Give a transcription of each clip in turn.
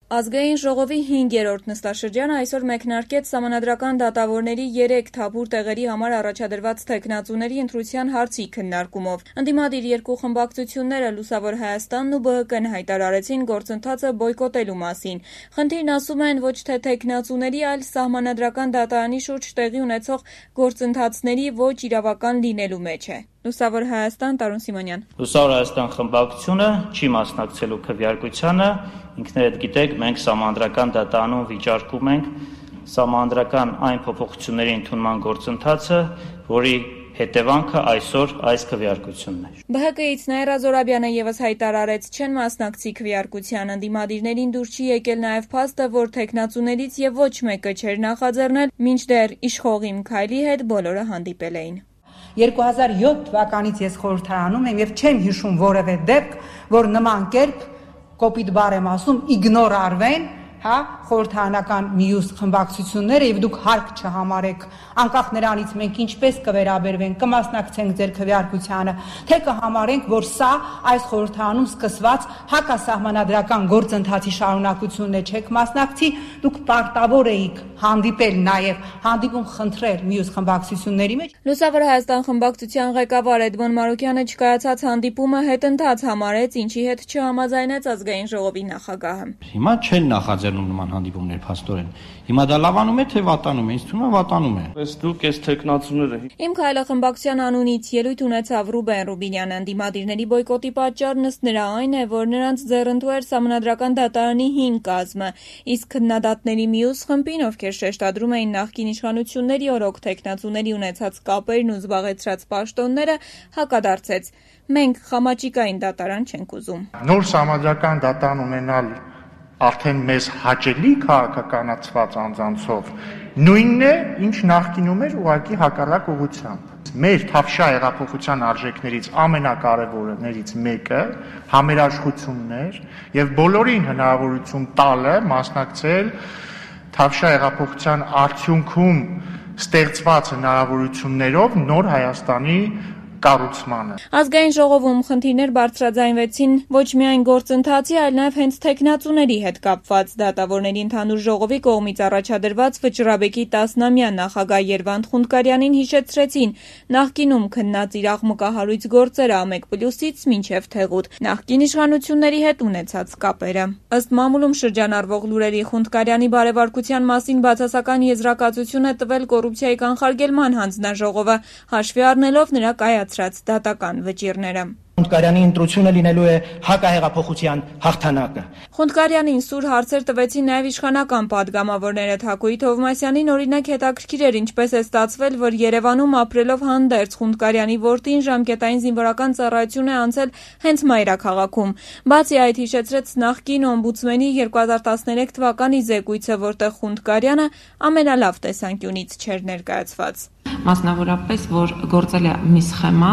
Ազգային ժողովի 5-րդ նստաշրջանը այսօր մեկնարկեց սահմանադրական դատավորների 3 թափուր տեղերի համար առաջադրված թեկնածուների ընտրության հարցի քննարկումով։ Ընդդիմադիր երկու խմբակցությունները Լուսավոր Հայաստանն ու ԲՀԿ-ն հայտարարեցին գործընթացը բոյկոտելու մասին։ Խնդիրն ասում են ոչ թե թեկնածուների, այլ սահմանադրական դատարանի շուրջ տեղի ունեցող գործընթացների ոչ իրավական լինելու մեջ է։ Լուսավոր Հայաստան, Տարուն Սիմոնյան։ Լուսավոր Հայաստան խմբակցությունը չի մասնակցելու քվեարկությանը, ինքներդ գիտեք, մենք սահմանադրական դատարանում վիճարկում ենք սահմանադրական այն փոփոխությունների ընդունման գործընթացը, որի հետևանքը այսօր այս քվեարկությունն է։ ԲՀԿ-ից Նաիրա Զորաբյանը ևս հայտարարեց, չեն մասնակցի քվեարկության, ընդդիմադիրներին դուր չի եկել նաև փաստը, որ թեկնածուներից եւ ոչ մեկը չէր նախաձեռնել, մինչդեռ իշխող Իմ Քայլի հետ բոլորը հանդիպել էին։ 2007 թվականից ես խորհրդարանում եմ եւ չեմ հիշում որևէ դեպք, որ նման կերպ կոպիտ բառ եմ ասում իգնոր արվեն, խորհրդարանական մյուս խմբակցությունները եւ դուք հարկ չհամարեք անկախ նրանից մենք ինչպես կվերաբերվենք, կմասնակցենք ձեր քվեարկությանը, թե կհամարենք, որ սա այս խորհրդարանում սկսված հակասահմանադրական գործընթացի շարունակությունն է, չեք մասնակցի, դուք պարտավոր էիք հանդիպել նաեւ հանդիպում խնդրել մյուս խմբակցությունների մեջ։ Լուսավոր Հայաստան խմբակցության ղեկավար Էդմոն Մարուկյանը չկայացած հանդիպումը հետընթաց համարեց, ինչի հետ չհամաձայնեց ազգային ժողովի նախագահը։ Հիմա չեն նախաձեռնում նման հանդիպումներ փաստորեն։ Հիմա դա լավանում է թե վատանում է, ինձ թվում է վատանում է։ Ես դուք ես թեկնածուները։ Իմ Քայլը խմբակցության անունից ելույթ ունեցավ Ռուբեն Ռուբինյանը, ընդդիմադիրների բոյկոտի պատճառն ըստ նրա այն է, որ նրանց ձեռնտու էր սահմանադրական դատարանի 5 կազմը, իսկ քննադատների մյուս խմբին, ովքեր շեշտադրում էին նախկին իշխանությունների օրոք թեկնածուների ունեցած կապերն ու զբաղեցրած պաշտոնները, հակադարձեց. մենք խամաճիկային դատարան չենք ուզում։ Նոր սահմանադրական դատարան ունենալ արդեն մեզ հաճելի քաղաքականացված անձանցով նույնն է, ինչ նախկինում էր ուղղակի հակառակ ուղղությամբ։ Մեր թավշյա հեղափոխության արժեքներից ամենակարևորներից մեկը համերաշխությունն էր եւ բոլորին հնարավորություն տալը մասնակցել թավշյա հեղափոխության արդյունքում ստեղծված հնարավորություններով նոր Հայաստանի կառուցմանը։ Ազգային ժողովում խնդիրներ բարձրաձայնվեցին ոչ միայն գործընթացի, այլ նաև հենց թեկնածուների հետ կապված։ Դատավորների ընդհանուր ժողովի կողմից առաջադրված Վճռաբեկի 10-ամյա նախագահ Երվանդ Խունդկարյանին հիշեցրեցին նախկինում քննած իր աղմկահարույց գործերը ԱՄԵԿ+-ից մինչև Թեղուտ, նախկին իշխանությունների հետ ունեցած կապերը։ Ըստ մամուլում շրջանառվող լուրերի Խունդկարյանի բարեվարկության մասին բացասական եզրակացություն է տվել կոռուպցիայի կանխարգելման հանձնաժողովը, հաշվի առնելով նրա դատական վճիռները։ Խունդկարյանի ընտրությունը լինելու է հակահեղափոխության հաղթանակը։ Խունդկարյանին սուր հարցեր տվեցին նաև իշխանական падգամավորները։ Թակուհի Թովմասյանին օրինակ հետաքրքիր էր ինչպես է ստացվել, որ Երևանում ապրելով հանդերձ Խունդկարյանի որդին ժամկետային զինվորական ծառայություն է անցել հենց մայրաքաղաքում։ Բացի այդ հիշեցրեց նախկին օմբուդսմենի 2013 թվականի զեկույցը, որտեղ Խունդկարյանը ամենալավ տեսանկյունից չէր ներկայացված։ Մասնավորապես, որ գործել է մի սխեմա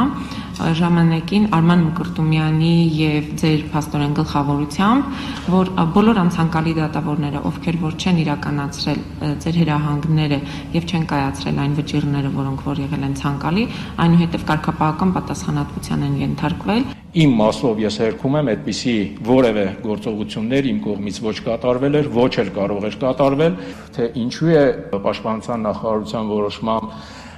ժամանակին Արման Մկրտումյանի եւ ձեր փաստորեն գլխավորությամբ, որ բոլոր անցանկալի դատավորները, ովքեր որ չեն իրականացրել ձեր հրահանգները եւ չեն կայացրել այն վճիռները, որոնք որ եղել են ցանկալի, այնուհետեւ կարգապահական պատասխանատվության են ենթարկվել։ Իմ մասով ես հերքում եմ այդպիսի որևէ գործողություններ իմ կողմից ոչ կատարվել էր, ոչ էլ կարող էր կատարվել, թե ինչու է պաշտպանության նախարարության որոշմամբ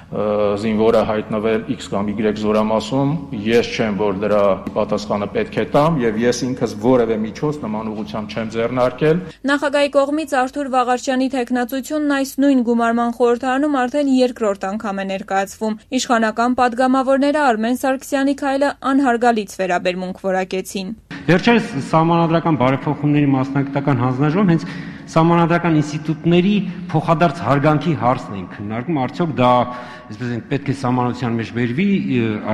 զինվորը հայտնվել X կամ Y զորամասում, ես չեմ, որ դրա պատասխանը պետք է տամ եւ ես ինքս որևէ միջոց նման ուղղությամբ չեմ ձեռնարկել։ Նախագահի կողմից Արթուր Վաղարշյանի թեկնածությունն այս նույն գումարման խորհրդարանում արդեն երկրորդ անգամ է ներկայացվում։ Իշխանական падգամավորները Արմեն Սարգսյանի քայլը անհարգալից վերաբերմունք որակեցին։ Վերջերս սահմանադրական բարեփոխումների մասնագիտական հանձնաժողովում հենց սահմանադրական ինստիտուտների փոխադարձ հարգանքի հարցն են քննարկում, արդյոք դա, այսպես են, պետք է սահմանության մեջ վերվի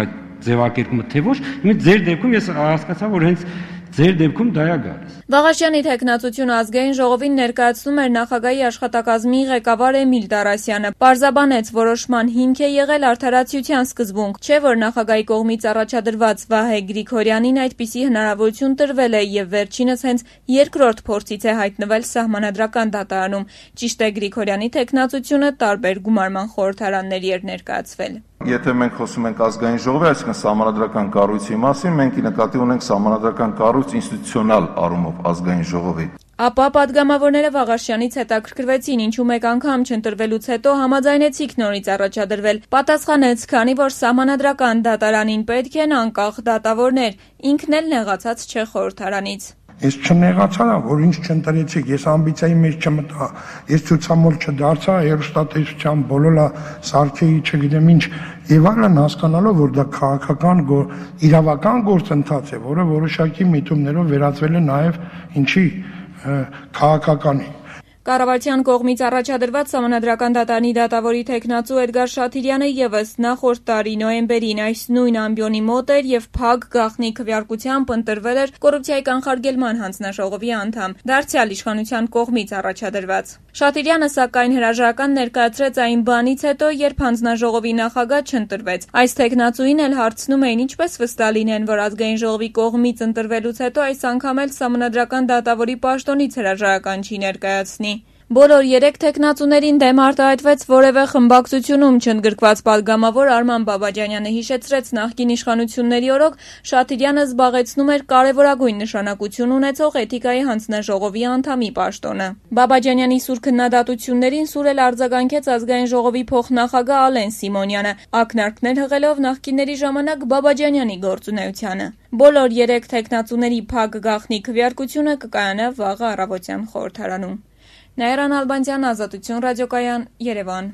այդ ձևակերպումը թե ոչ։ Հիմա ձեր դեպքում ես հասկացա, որ հենց ձեր դեպքում դա է գալիս։ Վաղարշյանի թեկնածությունը ազգային ժողովին ներկայացնում էր նախագահի աշխատակազմի ղեկավար Էմիլ Տարասյանը։ Պարզաբանեց, որոշման հիմք է եղել արդարացիության սկզբունք, չէ՞ որ նախագահի կողմից առաջադրված Վահե Գրիգորյանին այդպիսի հնարավորություն տրվել է եւ վերջինս հենց երկրորդ փորձից է հայտնվել սահմանադրական դատարանում։ Ճիշտ է, Գրիգորյանի թեկնածությունը տարբեր գումարման խորհրդարանների էր ներկայացվել։ Եթե մենք խոսում ենք ազգային ժողովի, այսինքն սահմանադրական կառույցի մասին, մենք նկատի ունենք սահմանադրական կառույց ինստիտուցիոնալ առումով ազգային ժողովի։ Ապա պատգամավորները Վաղարշյանից հետաքրքրվեցին, ինչու մեկ անգամ չընտրվելուց հետո համաձայնեցիք նորից առաջադրվել։ Պատասխանեց, քանի որ սահմանադրական դատարանին պետք են անկախ դատավորներ, ինքն էլ նեղացած չէ խորհրդարանից։ Ես չնեղացա, որ ինձ չընտրեցիք, ես ամբիցիայի մեջ չմտա, ես ցուցամոլ չդարձա, երուստատեսության բոլորը սարքեի, չգիտեմ ինչ, եւ այլն, հասկանալով, որ դա քաղաքական իրավական գործընթաց է, որը որոշակի միտումներով վերածվել է նաեւ ինչի քաղաքականի։ Կառավարության կողմից առաջադրված Սահմանադրական դատարանի դատավորի թեկնածու Էդգար Շաթիրյանը ևս նախորդ տարի նոյեմբերին այս նույն ամբիոնի մոտ էր եւ փակ գաղտնի քվեարկությամբ ընտրվել էր կոռուպցիայի կանխարգելման հանձնաժողովի անդամ, դարձյալ իշխանության կողմից առաջադրված։ Շաթիրյանը սակայն հրաժարական ներկայացրեց այն բանից հետո, երբ հանձնաժողովի նախագահ չընտրվեց։ Այս թեկնածուին էլ հարցնում էին ինչպես վստահ լինեն, որ ազգային ժողովի կողմից ընտրվելուց հետո այս անգամ էլ Սահմանադրական դատավորի պաշտոնից հրաժարական չի ներկայացնի։ Բոլոր 3 թեկնածուներին դեմ արտահայտվեց որևէ խմբակցությունում չընդգրկված պատգամավոր Արման Բաբաջանյանը հիշեցրեց նախկին իշխանությունների օրոք Շաթիրյանը զբաղեցնում էր կարևորագույն նշանակություն ունեցող էթիկայի հանձնաժողովի անդամի պաշտոնը։ Բաբաջանյանի սուր քննադատություններին սուր էլ արձագանքեց ազգային ժողովի փոխնախագահ Ալեն Սիմոնյանը, ակնարկներ հղելով նախկինների ժամանակ Բաբաջանյանի գործունեությանը։ Բոլոր 3 թեկնածուների փակ գաղտնի քվեարկությունը կկայանա վաղը առավոտյան խորհրդարանում։ Նաիրա Նալբանդյան, Ազատություն ռադիոկայան, Երևան։